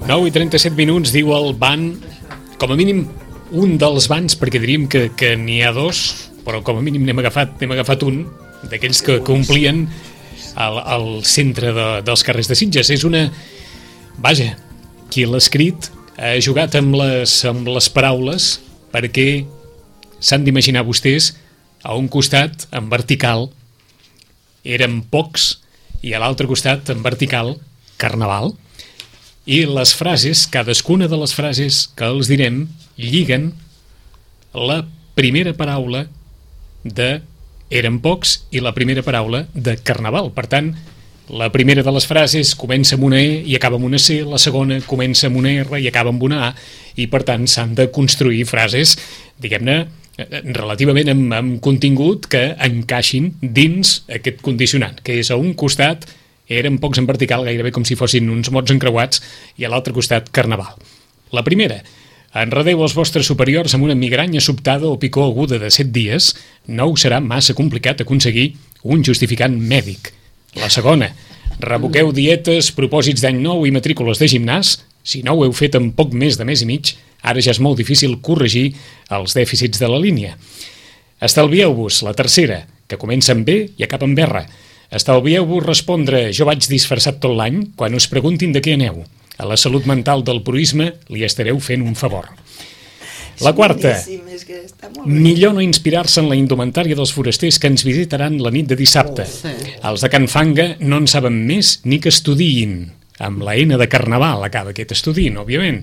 9:37, diu el ban, com a mínim un dels bans, perquè diríem que n'hi ha dos, però com a mínim n'hem agafat un d'aquells que omplien al centre dels carrers de Sitges. És una... Vaja, qui l'ha escrit ha jugat amb les paraules, perquè s'han d'imaginar vostès, a un costat, en vertical, érem pocs, i a l'altre costat, en vertical, carnaval. I les frases, cadascuna de les frases que els direm, lliguen la primera paraula de érem pocs i la primera paraula de carnaval. Per tant, la primera de les frases comença amb una E i acaba amb una C, la segona comença amb una R i acaba amb una A, i per tant s'han de construir frases, diguem-ne, relativament amb contingut que encaixin dins aquest condicionant, que és a un costat eren pocs en vertical, gairebé com si fossin uns mots encreuats, i a l'altre costat carnaval. La primera: enredeu els vostres superiors amb una migranya sobtada o picor aguda de 7 dies, no us serà massa complicat aconseguir un justificant mèdic. La segona: revoqueu dietes, propòsits d'any nou i matrícules de gimnàs. Si no ho heu fet en poc més de mes i mig, ara ja és molt difícil corregir els dèficits de la línia. Estalvieu-vos, la tercera, que comença amb B i acaba amb R. Estalvieu-vos respondre jo vaig disfressat tot l'any quan us preguntin de què aneu. A la salut mental del proisme li estareu fent un favor. La quarta: millor no inspirar-se en la indumentària dels forasters que ens visitaran la nit de dissabte. Els de Can Fanga no en saben més ni que estudiïn. Amb la N de carnaval acaba aquest estudiïn, òbviament.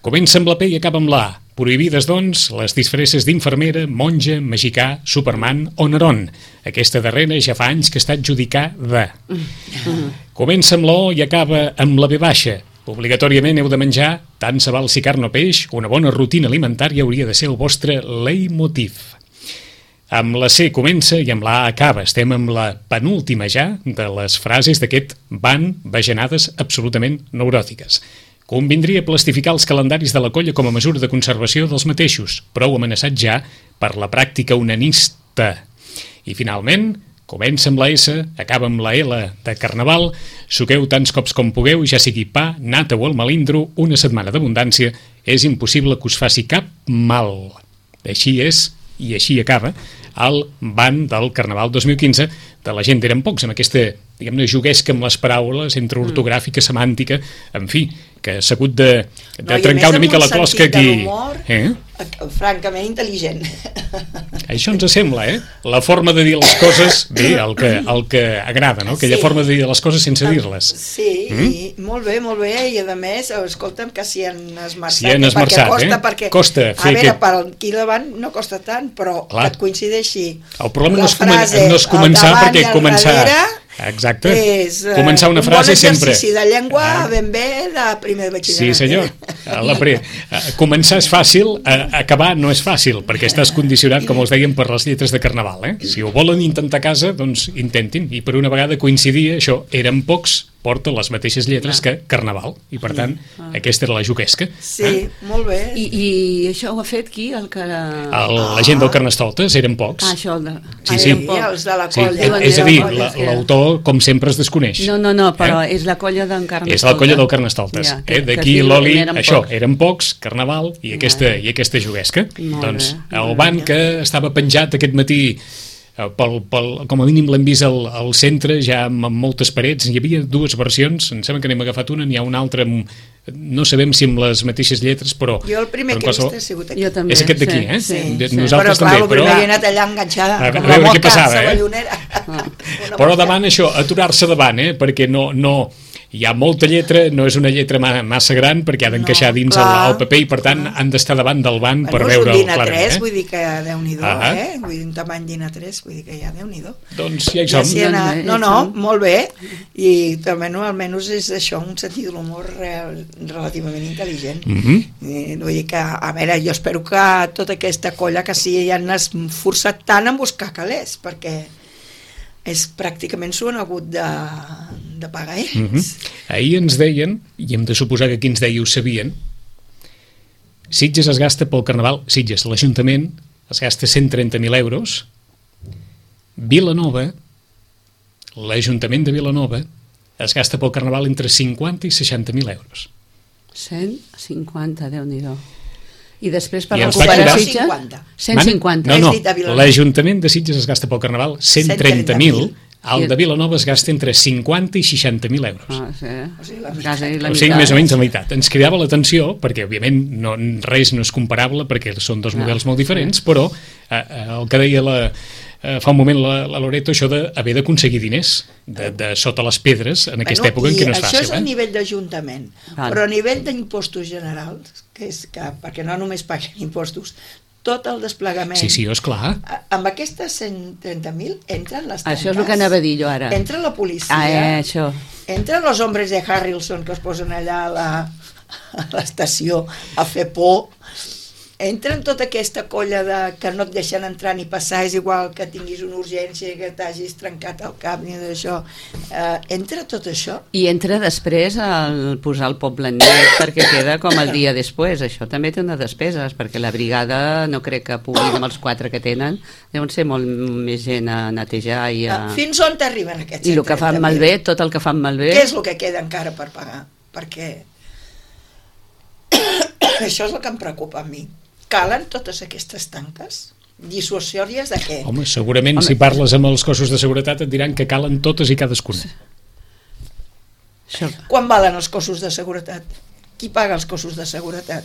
Comença amb la P i acaba amb la A. Prohibides, doncs, les disfresses d'infermera, monja, magicà, Superman o Neron. Aquesta darrera ja fa anys que està adjudicada. Comença amb la O i acaba amb la V baixa. Obligatòriament heu de menjar, tant se val si carn o peix, una bona rutina alimentària hauria de ser el vostre leitmotiv. Amb la C comença i amb la A acaba. Estem amb la penúltima ja de les frases d'aquest ban bajanades absolutament neuròtiques. Convindria plastificar els calendaris de la colla com a mesura de conservació dels mateixos, prou amenaçat ja per la pràctica onanista. I finalment, comença amb la S, acaba amb la L de carnaval, suqueu tants cops com pugueu, ja sigui pa, nata o el melindro, una setmana d'abundància, és impossible que us faci cap mal. Així és, i així acaba, el ban del Carnaval 2015 de la gent eren pocs, amb aquesta, diguem-ne, juguesca amb les paraules, entre ortogràfica, semàntica, en fi, que s'ha hagut de trencar una mica la closca aquí. Francament intel·ligent. Això ens sembla, La forma de dir les coses, bé, el que agrada, no? Aquella forma de dir les coses sense dir-les. Sí, i molt bé, i a més, escolta'm, que s'hi han esmerçat. S'hi han esmerçat, costa fer a veure, per aquí davant no costa tant, però que et coincideixi el problema no és començar, perquè començar... Exacte. És començar una frase sempre. Un bon exercici de llengua ben bé de primer de batxillerat. Sí, senyor. Començar és fàcil, acabar no és fàcil, perquè estàs condicionat, com us dèiem, per les lletres de carnaval. Si ho volen intentar a casa, doncs intentin. I per una vegada coincidia, això, eren pocs, porta les mateixes lletres que carnaval, i per tant aquesta era la juguesca. Sí, molt bé. I això ho ha fet qui? La gent del Carnestoltes, eren pocs. Això sí. Els de la colla. És a dir, l'autor com sempre es desconeix. No, però és la colla d'en Carnestoltes. És la colla del Carnestoltes. D'aquí l'Oli, això, eren pocs, carnaval i aquesta juguesca. Doncs el ban que estava penjat aquest matí, com a mínim l'hem vist al centre, ja amb moltes parets, hi havia dues versions, em sembla que n'hem agafat una, n'hi ha una altra, no sabem si amb les mateixes lletres, però... Jo el primer que he vist ha sigut aquí. És aquest d'aquí, Sí. Nosaltres també, però he anat allà enganxada, a veure què passava, Però davant això, aturar-se davant, perquè no... Hi ha molta lletra, no és una lletra massa gran perquè ha d'encaixar dins el paper i per tant han d'estar davant del banc per veure'l clarament. És un DIN A3, vull dir que Déu-n'hi-do, vull dir un tamany DIN A3, vull dir que ja Déu-n'hi-do. Doncs ja hi som. No, molt bé, i també almenys és això, un sentit de l'humor relativament intel·ligent. Vull dir que, a veure, jo espero que tota aquesta colla que sí ja han esforçat tant en buscar calés, perquè pràcticament s'ho han hagut de pagar ells. Ahir ens deien, i hem de suposar que aquí ens deia ho sabien, Sitges es gasta pel Carnaval, Sitges, l'Ajuntament es gasta 130.000 euros, Vilanova, l'Ajuntament de Vilanova es gasta pel Carnaval entre 50 i 60.000 euros. 150, Déu-n'hi-do. I després per I ens va recuperar quedar- Sitges? 150. 150. No, Has dit a Vilanova. l'Ajuntament de Sitges es gasta pel Carnaval 130.000, el I- de Vilanova es gasta entre 50 i 60.000 euros. O sigui, la quasi la O sigui, meitat. més o menys la meitat. Ens cridava l'atenció, perquè òbviament res no és comparable, perquè són dos models molt diferents, però el que deia fa un moment la Loreto, això d'haver d'aconseguir diners de sota les pedres en aquesta època en què no és això és a fàcil. nivell d'Ajuntament, Val. però a nivell d'impostos generals, que és que, perquè no només paguen impostos, tot el desplegament... Sí, esclar. Amb aquestes 130.000 entren les tanques. Això és el que anava a dir jo ara. Entra la policia, Això. entren els hombres de Harrelson que es posen allà a l'estació a fer por, entren tota aquesta colla que no et deixen entrar ni passar, és igual que tinguis una urgència, que t'hagis trencat el cap ni d'això, entra tot això. I entra després el posar el poble net perquè queda com el dia després. Això també té unes despeses, perquè la brigada no crec que puguin amb els 4 que tenen, deuen ser molt més gent a netejar i a... Fins on t'arriben aquests 130.000? I el que fan malbé, tot el que fan malbé... Què és el que queda encara per pagar? Perquè això és el que em preocupa a mi. Calen totes aquestes tanques? Dissuasòries de què? Home, segurament si parles amb els cossos de seguretat et diran que calen totes i cadascuna. Això... Quan valen els cossos de seguretat? Qui paga els cossos de seguretat?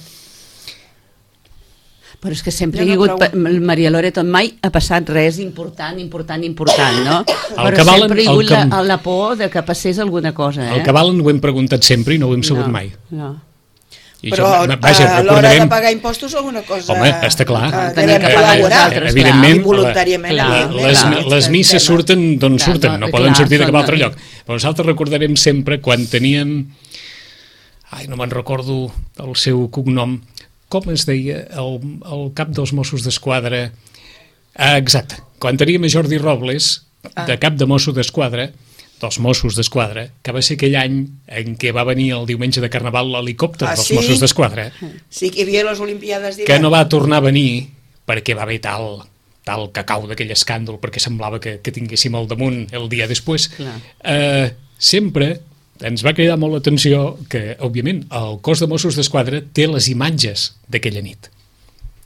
Però és que sempre Jo hi ha no hagut, Maria Loreto, mai ha passat res important, no? Però que valen- sempre hi ha el hagut que- la por de que passés alguna cosa, El que valen ho hem preguntat sempre i no ho hem sabut No, mai. no. I Però això, a l'hora de pagar impostos alguna cosa... Home, està clar. Tenia que col·laborar. pagar nosaltres, evidentment, I voluntàriament. clar, evidentment, les misses surten d'on Clar, surten, no clar, poden sortir de cap són- altre lloc. Però nosaltres recordarem sempre quan teníem... no me'n recordo el seu cognom. Com es deia? El cap dels Mossos d'Esquadra. Exacte. Quan teníem a Jordi Robles, de cap de Mosso d'Esquadra, dels Mossos d'Esquadra, que va ser aquell any en què va venir el diumenge de Carnaval l'helicòpter dels sí? Mossos d'Esquadra, Sí, que hi havia les Olimpiades d'hivern. que no va tornar a venir perquè va haver tal cacau d'aquell escàndol, perquè semblava que tinguéssim al damunt el dia després. Sempre ens va cridar molt l'atenció que, òbviament, el cos de Mossos d'Esquadra té les imatges d'aquella nit.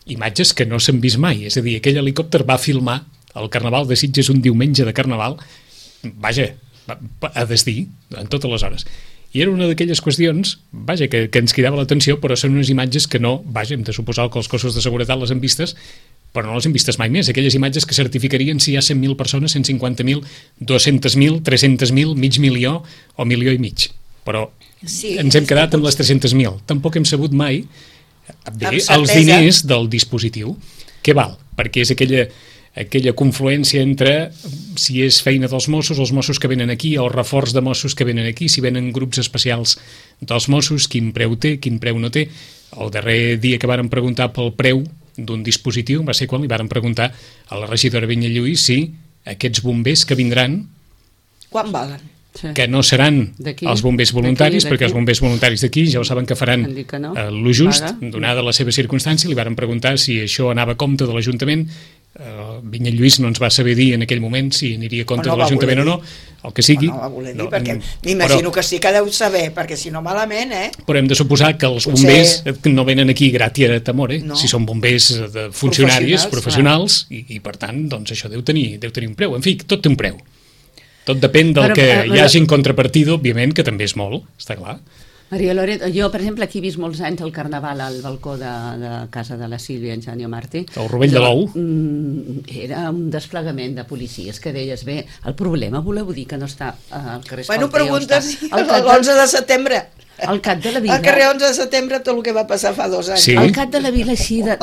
Imatges que no s'han vist mai. És a dir, aquell helicòpter va filmar el Carnaval de Sitges un diumenge de Carnaval, vaja, a desdir, en totes les hores. I era una d'aquelles qüestions, vaja, que ens cridava l'atenció, però són unes imatges que no, vaja, hem de suposar que els cossos de seguretat les han vistes, però no les hem vistes mai més. Aquelles imatges que certificarien si hi ha 100.000 persones, 150.000, 200.000, 300.000, mig milió o milió i mig. Però ens hem quedat amb les 300.000. Tampoc hem sabut mai els diners del dispositiu. Què val? Perquè és aquella confluència entre si és feina dels Mossos, els Mossos que venen aquí, o reforç de Mossos que venen aquí, si venen grups especials dels Mossos, quin preu té, quin preu no té. El darrer dia que varen preguntar pel preu d'un dispositiu va ser quan li varen preguntar a la regidora Vinyalluís si aquests bombers que vindran, quan valen? que no seran els bombers voluntaris, perquè els bombers voluntaris d'aquí ja ho saben que faran lo just, donada la seva circumstància. Li varen preguntar si això anava a compte de l'Ajuntament. Vinyalluís no ens va saber dir en aquell moment si aniria a compte de l'Ajuntament o no, el que sigui. No va voler dir, perquè m'imagino que sí que deu saber, perquè si no malament, Però hem de suposar que els bombers no venen aquí gratia tamore, si són bombers funcionaris, professionals, i per tant, doncs això deu tenir un preu. En fi, tot té un preu. Tot depèn del que hi hagi en contrapartida, òbviament, que també és molt, està clar. Maria Loreto, jo, per exemple, aquí he vist molts anys el Carnaval al balcó de casa de la Sílvia Engenio Martí. El Rovell de l'Ou. Era un desplegament de policies que deies, bé, el problema voleu dir que no està al carrer Escolteu. Bueno, preguntes l'11 de setembre. Al cap de la vila. Al carrer 11 de setembre tot el que va passar fa 2 anys. Sí. Al cap de la vila així de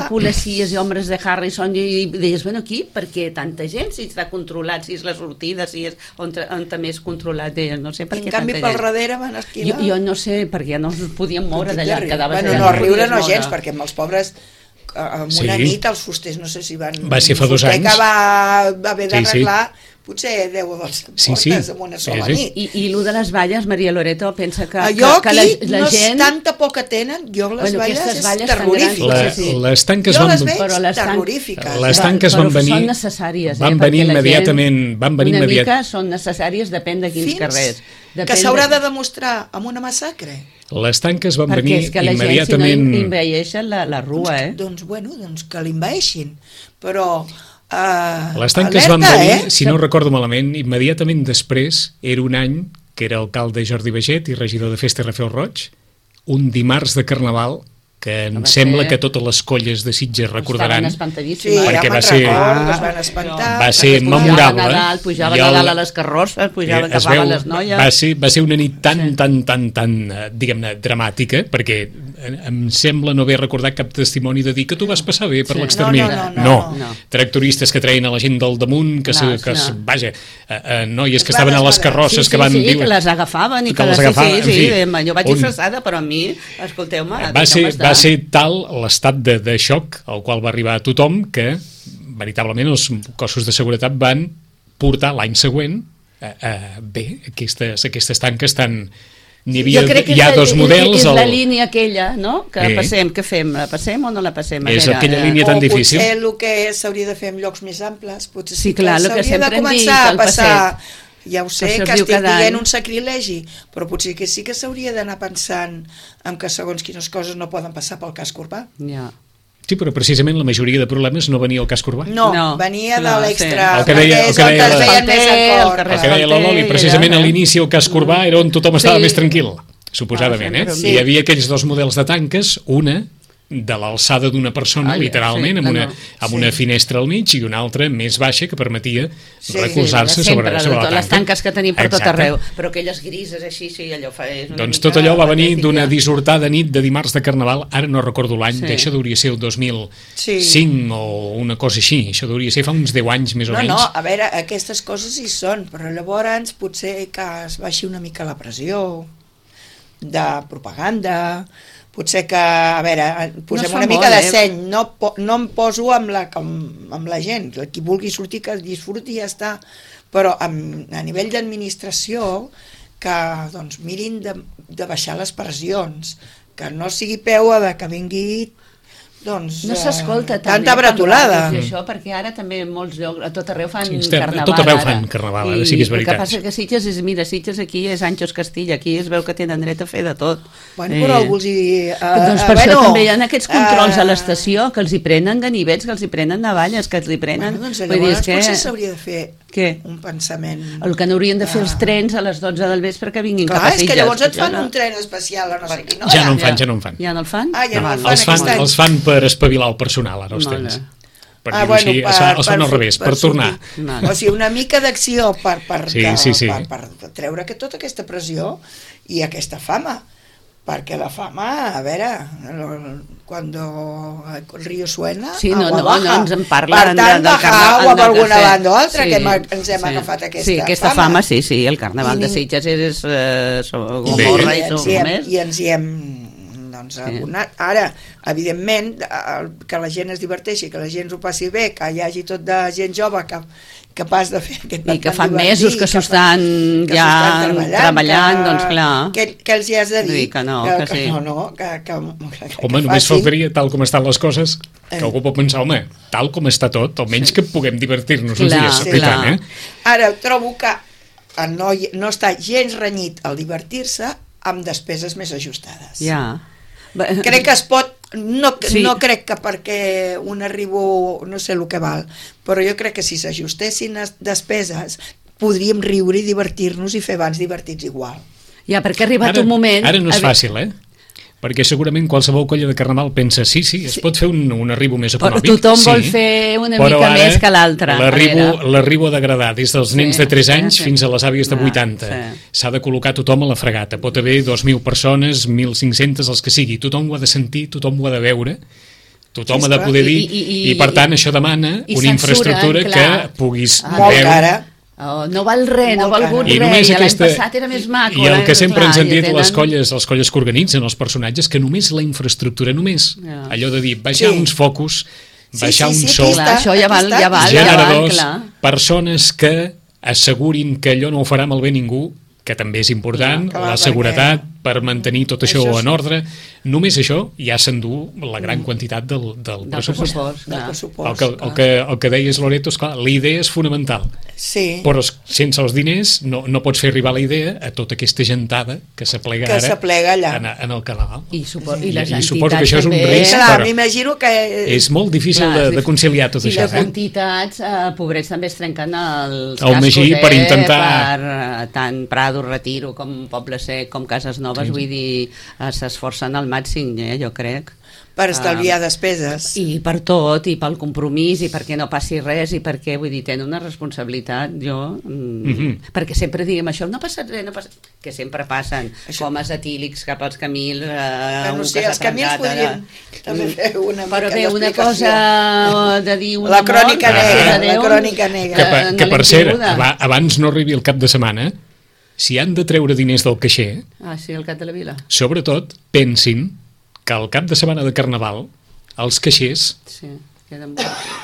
policies i homes de Harrison i deies, bueno, aquí perquè tanta gent, si està controlat, si és la sortida, si és on també és controlat, no sé per què tanta gent. En canvi, pel darrere van esquivar. Jo no sé, perquè no es podien moure d'allà, quedaves allà. Bueno, no, riure no gens, perquè amb els pobres amb una nit els fusters, no sé si van... Va ser fa 2 anys. que va haver d'arreglar, potser 10 o 12 Sí, portes sí. en una sola Sí, sí. nit. I lo de les valles, Maria Loreto, pensa que Jo que aquí la gent... tanta por que tenen, jo les valles aquestes és valles tan terrorífiques. grans, La- sí. les tanques Jo van... les veig Però les terrorífiques. Les tanques Però van venir... són necessàries, van perquè venir la gent immediatament... Van venir una immediat... mica són necessàries, depèn de quins carrers. que s'haurà de demostrar amb una massacre. Les tanques van Perquè venir és que la immediatament... gent, si no envaeixen la rua, Doncs que l'invaeixin. Però... Les tanques van alerta, venir, si no recordo malament, immediatament després, era un any que era alcalde Jordi Baget i regidor de Festa Rafel Roig, un dimarts de Carnaval, que em sembla que totes les colles de Sitges recordaran, Sí, perquè ja me'n recordo, es van espantar. va ser Pujava memorable. a Nadal, pujaven a dalt a les carrosses, pujaven, Es agafaven veu, les noies... va ser una nit tan diguem-ne, dramàtica, perquè em sembla no haver recordat cap testimoni de dir que tu vas passar bé per l'extermini. No. Tractoristes que treien a la gent del damunt, vaja, noies que estaven a les carrosses, sí, que van viure... que les agafaven i que les agafaven, sí, en fi, jo vaig disfressada, però a mi, escolteu-me, va ser tal l'estat de xoc al qual va arribar tothom que veritablement els cossos de seguretat van portar l'any següent bé, aquestes tanques tan... Hi ha dos models... És la línia aquella, no? Que passem, què fem? La passem o no la passem? És aquella línia tan difícil. O potser el que s'hauria de fer en llocs més amples, potser sí que s'hauria de començar a passar... Ja ho sé, que estic dient un sacrilegi, però potser que sí que s'hauria d'anar pensant en que segons quines coses no poden passar pel casc urbà. Ja. Sí, però precisament la majoria de problemes no venia al casc urbà. No, venia de l'extra. El que deia la Loli, precisament a l'inici el casc urbà era on tothom estava més tranquil, suposadament, Hi havia aquells dos models de tanques, una de l'alçada d'una persona, literalment, amb una finestra al mig, i una altra més baixa que permetia recolzar-se sobre la tanca. Les tanques que tenim per tot arreu, però aquelles grises així, allò fa... Doncs tot allò va venir d'una dissortada nit de dimarts de Carnaval, ara no recordo l'any, això hauria ser el 2005 o una cosa així, això hauria ser fa uns 10 anys més o menys. No, a veure, aquestes coses hi són, però llavors potser que es baixi una mica la pressió de propaganda... Potser que, a veure, posem una mica de seny, no em poso amb la gent, qui vulgui sortir que disfruti i ja està, però a nivell d'administració que doncs, mirin de baixar les pressions, que no sigui peu de que vingui doncs, no s'escolta tanta bretolada. Això, perquè ara també molts llocs, a tot arreu fan carnaval. A tot arreu fan carnaval, ara sí que és veritat. El que passa que Sitges és, mira, Sitges aquí és Anxos Castilla, aquí es veu que tenen dret a fer de tot. Bueno, però vols dir... Doncs per això també hi ha aquests controls a l'estació, que els hi prenen ganivets, que els hi prenen navalles, que els hi prenen... Doncs llavors potser s'hauria de fer un pensament... El que n'haurien de fer els trens a les 12 del vespre que vinguin cap a Sitges. Clar, és que llavors et fan un tren especial a no sé quin hora. Ja no en fan. Ja no el fan? Ah, ja no el fan aquest any. Els fan per espavilar el personal, ara els temps. Per dir-ho així, els fan al revés, per tornar. O sigui, una mica d'acció per treure tota aquesta pressió i aquesta fama. Perquè la fama, a veure, cuando el río suena, agua baja. No ens en parlen del carnaval. Agua per alguna banda o altra, que ens hem agafat aquesta fama. Sí, aquesta fama, sí, el carnaval de Sitges és Gomorra i més. I ens hi hem abonat. Ara, evidentment, que la gent es diverteixi, que la gent ho passi bé, que hi hagi tot de gent jove capaç de fer aquest i que fa mesos que s'ho estan ja treballant, doncs clar. Què els hi has de dir? Que no, que sí. Home, només faltaria, tal com estan les coses, que algú pot pensar, home, tal com està tot, almenys que puguem divertir-nos uns dies aplicant, Ara, trobo que no està gens renyit al divertir-se amb despeses més ajustades. Ja. Crec que es pot, no crec que perquè un arribo no sé el que val, però jo crec que si s'ajustessin despeses podríem riure i divertir-nos i fer abans divertits igual. Ja, perquè ha arribat un moment... Ara no és fàcil, perquè segurament qualsevol colla de carnaval pensa es pot fer un arribo més econòmic. Però tothom vol fer una mica més que l'altre. L'arribo ha d'agradar des dels nens de 3 anys fins a les àvies de 80. S'ha de col·locar tothom a la fregata. Pot haver 2.000 persones, 1.500, els que sigui. Tothom ho ha de sentir, tothom ho ha de veure, tothom ha de poder dir, i per tant això demana una infraestructura que puguis veure... No val res, no ha valgut res, l'any passat era més maco. I el que sempre ens han dit les colles que organitzen els personatges, que només la infraestructura, allò de dir, baixar uns focus, baixar un so, això ja val, generadors, persones que assegurin que allò no ho farà malbé ningú, que també és important, la seguretat per mantenir tot això en ordre. Només això ja s'endú la gran quantitat del pressupost. El que deies, Loreto, esclar, la idea és fonamental, però sense els diners no pots fer arribar la idea a tota aquesta gentada que s'aplega ara en el Carnaval. I suposo que això és un risc, però m'imagino que és molt difícil de conciliar tot això. I les entitats, pobrets, també es trenquen els cascos Magí per intentar... per tant Prado, Retiro, com Poble Sec, com Cases Noves, vull dir, s'esforcen al màxim, jo crec. Per estalviar despeses. I per tot, i pel compromís, i perquè no passi res, i perquè, vull dir, tenen una responsabilitat, perquè sempre diguem això, no ha passat res, que sempre passen, homes etílics cap als Camils, els Camils podrien també fer una mica però bé, una cosa de dir la crònica negra. Que per cert, abans no arribi el cap de setmana, si han de treure diners del caixer, el cap de la vila, sobretot pensin que al cap de setmana de Carnaval els caixers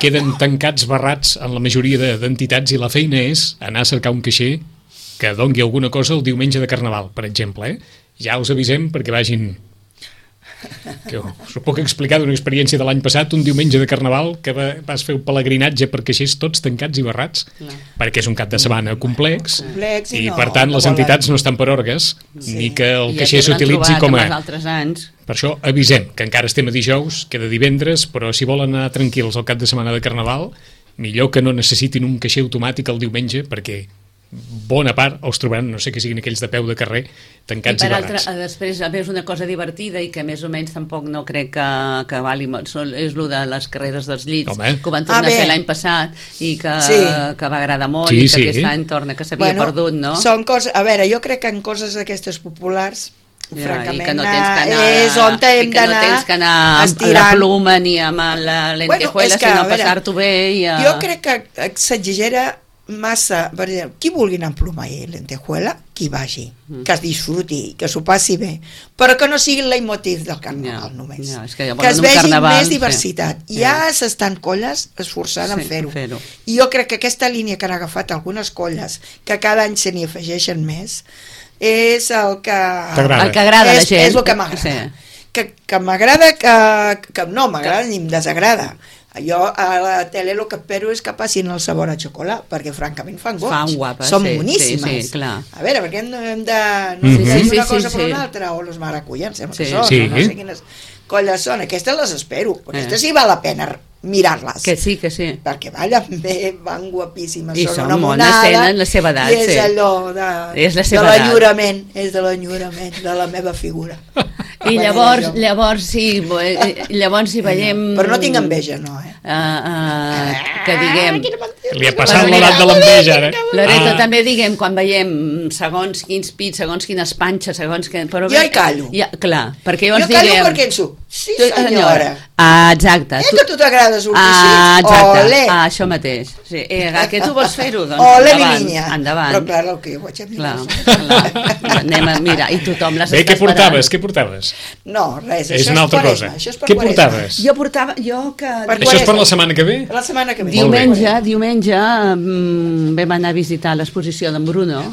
queden tancats, barrats en la majoria d'entitats, i la feina és anar a cercar un caixer que dongui alguna cosa el diumenge de Carnaval, per exemple. Ja us avisem perquè vagin... que us ho puc explicar d'una experiència de l'any passat, un diumenge de Carnaval que vas fer un pelegrinatge per caixers tots tancats i barrats, perquè és un cap de setmana complex i per tant les entitats no estan per orgues, ni que el caixer s'utilitzi com a... Per això avisem que encara estem a dijous, queda divendres, però si volen anar tranquils al cap de setmana de Carnaval, millor que no necessitin un caixer automàtic el diumenge, perquè bona part els trobaran, no sé que siguin aquells de peu de carrer, tancats i barrats. Després, a més, una cosa divertida i que més o menys tampoc no crec que vali molt, és el de les carreres dels llits, que ho van tornar a fer l'any passat i que va agradar molt, i que aquest any torna, que s'havia perdut, no? Són coses, a veure, jo crec que en coses d'aquestes populars, francament, és on hem d'anar, no tens que anar amb la pluma ni amb la lentejuela, sinó passar-t'ho bé. Jo crec que s'exagera massa, per exemple, qui vulgui anar amb ploma i lentejuela, qui vagi, que es disfruti, que s'ho passi bé, però que no sigui el leitmotiv del Carnaval només, que es vegi més diversitat. Ja s'estan colles esforçant en fer-ho, i jo crec que aquesta línia que han agafat algunes colles, que cada any se n'hi afegeixen més, és el que agrada a la gent, és el que m'agrada, que m'agrada, no m'agrada ni em desagrada. Jo a la tele el que espero és que passin el sabor a xocolat, perquè francament fan guapes, són boníssimes. A veure, perquè hem de una cosa per una altra, o les maracuyans, sembla que són, no sé quines colles són, aquestes les espero, aquestes sí val la pena mirar-les. Que sí. Perquè ballen bé, van guapíssimes, són una monada, tenen la seva edat, i és allò de l'enyorament, de la meva figura. I llavors si veiem... Però no tinc enveja, no, que diguem... Li ha passat l'edat de l'enveja, ara. Loreto, també diguem, quan veiem segons quins pits, segons quines panxes, segons... Jo hi callo. Clar, perquè llavors diguem... Jo callo perquè penso, sí senyora. Exacte. Que tu t'agrades un pixit, ole. Això mateix. Que tu vols fer-ho, doncs ole, mi niña. Endavant. Però clar, el que jo vaig a mirar. Anem a mirar, i tothom les està esperant. Què portaves? No, res, és una altra cosa. Què portaves? Jo portava... Això és per la setmana que ve? Per la setmana que ve. Diumenge vam anar a visitar l'exposició d'en Bruno,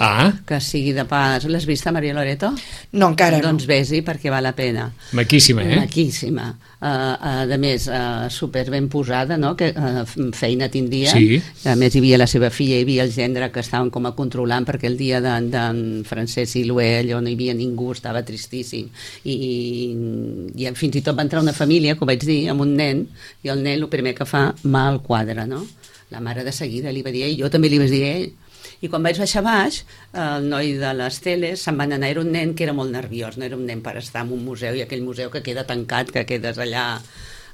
que sigui de pas... L'has vista, Maria Loreto? No, encara no. Doncs vés-hi perquè val la pena. Maquíssima, Maquíssima. A més, super ben posada, no? Que feina tindria. A més, hi havia la seva filla, hi havia el gendre que estaven com a controlant, perquè el dia d'en Francesc Silué allò no hi havia ningú, estava tristíssim, i fins i tot va entrar una família, que ho vaig dir, amb un nen, i el nen el primer que fa, mà al quadre, no? La mare de seguida li va dir, i jo també li vaig dir a ell. I quan vaig baixar baix, el noi de les teles se'n van anar, era un nen que era molt nerviós, no era un nen per estar en un museu, i aquell museu que queda tancat, que quedes allà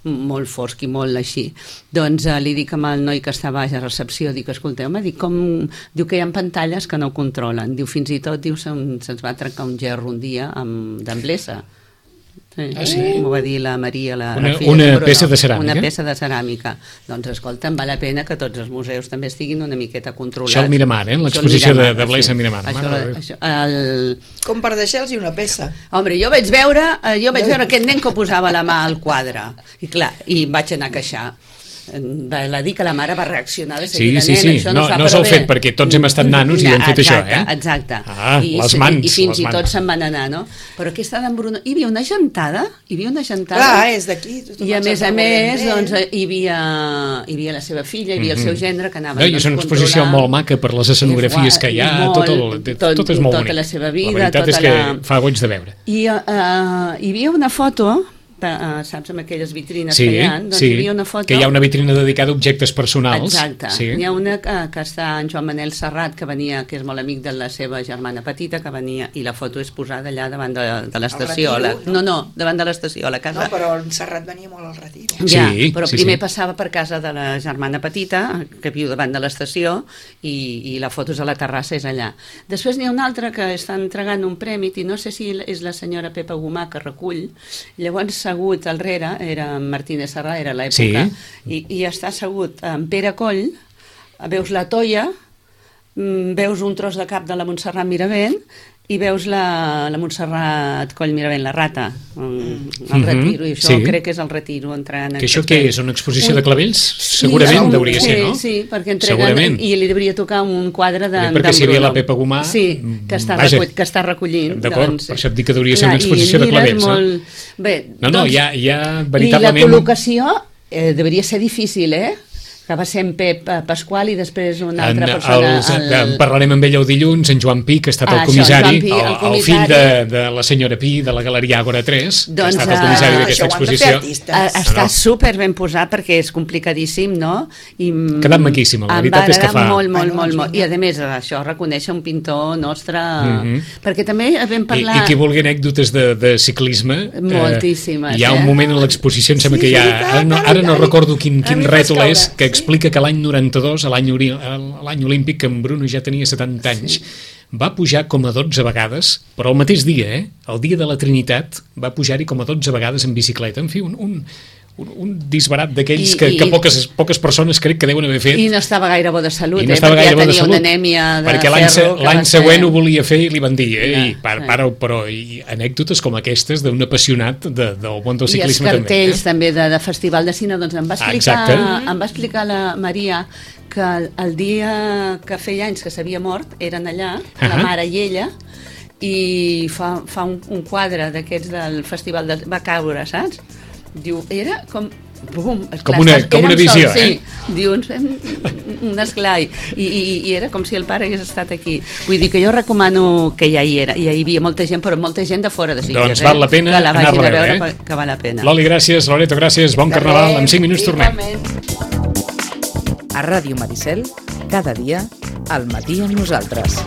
molt fosc i molt així. Doncs li dic amb el noi que està baix a recepció, dic, escolteu-me, diu que hi ha pantalles que no controlen, diu, fins i tot, diu, se'ns va trencar un gerro un dia d'Amblesa. M'ho va dir la Maria, la filla una peça de ceràmica. Una peça de ceràmica. Doncs escolta, em val la pena que tots els museus també estiguin una miqueta controlats. Això al Miramar, l'exposició de Blesa Miramar. Com per deixar-los una peça. Home, jo vaig veure aquest nen que posava la mà al quadre, i clar, i em vaig anar a queixar. va dir que la mare va reaccionar de Sí. això No s'ho fet perquè tots hem estat nanos i hem fet això, Exacte. Les mans. I fins i tot se'n van anar, no? Però aquesta d'en Bruno... Hi havia una gentada. Clar, és d'aquí. I a més, doncs, hi havia la seva filla, hi havia el seu gendre que anava... I és una exposició molt maca per les escenografies que hi ha, tot és molt bonic. Tota la seva vida. La veritat és que fa goig de veure. I hi havia una foto... saps, amb aquelles vitrines que hi ha, doncs hi havia una foto... que hi ha una vitrina dedicada a objectes personals. Exacte. N'hi ha una que està en Joan Manel Serrat, que venia, que és molt amic de la seva germana petita, que venia, i la foto és posada allà davant de l'estació. No, davant de l'estació, a la casa. No, però en Serrat venia molt al Retiro. Ja, però primer passava per casa de la germana petita, que viu davant de l'estació, i la foto és a la terrassa, és allà. Després n'hi ha una altra que està entregant un premi, i no sé si és la senyora Pepa Gomà que recull, llavors assegut al rere, era Martínez Serrà, era l'època, i està assegut en Pere Coll, veus la Toia, veus un tros de cap de la Montserrat Miravent, i veus la Montserrat Coll Miravent, la rata, el Retiro, i això crec que és el Retiro. Que això què és? Una exposició de clavells? Segurament hauria ser, no? Sí, perquè entreguen, i li hauria tocar un quadre d'en Bruno. Perquè si hi havia la Pepa Gomà... Sí, que està recollint. D'acord, per això et dic que hauria ser una exposició de clavells, no? Bé, no, hi ha veritablement... I la col·locació hauria ser difícil, que va ser en Pep Pasqual i després una altra persona... En parlarem amb ell el dilluns, en Joan Pi, que ha estat el comissari, el fill de la senyora Pi, de la Galeria Àgora 3, que ha estat el comissari d'aquesta exposició. Està super ben posat perquè és complicadíssim, no? Ha quedat maquíssim, la veritat és que fa... Molt. I a més, això reconeix un pintor nostre... Perquè també vam parlar... I qui vulgui anècdotes de ciclisme... Moltíssimes. Hi ha un moment en l'exposició, em sembla que hi ha... Ara no recordo quin rètol és, que explica que l'any 92, l'any olímpic, que en Bruno ja tenia 70 anys, va pujar com a 12 vegades, però el mateix dia, el dia de la Trinitat, va pujar-hi com a 12 vegades en bicicleta. En fi, un disbarat d'aquells que poques persones crec que deuen haver fet. I no estava gaire bo de salut, perquè ja tenia una anèmia de perquè l'any següent ho volia fer i li van dir, però anècdotes com aquestes d'un apassionat del món del ciclisme també. I els cartells també de Festival de Cine, doncs em va explicar la Maria que el dia que feia anys que s'havia mort eren allà, la mare i ella, i fa un quadre d'aquests del festival va caure, saps? Diu, era com... Bum, com una visió, Diu, un esclai. I era com si el pare hagués estat aquí. Vull dir que jo recomano que ja hi era. I hi havia molta gent, però molta gent de fora de Sitges. Doncs val la pena anar-la a veure, que val la pena. Loli, gràcies. Loreto, gràcies. Bon carnaval. En 5 minuts tornem. A Ràdio Maricel, cada dia, al matí amb nosaltres.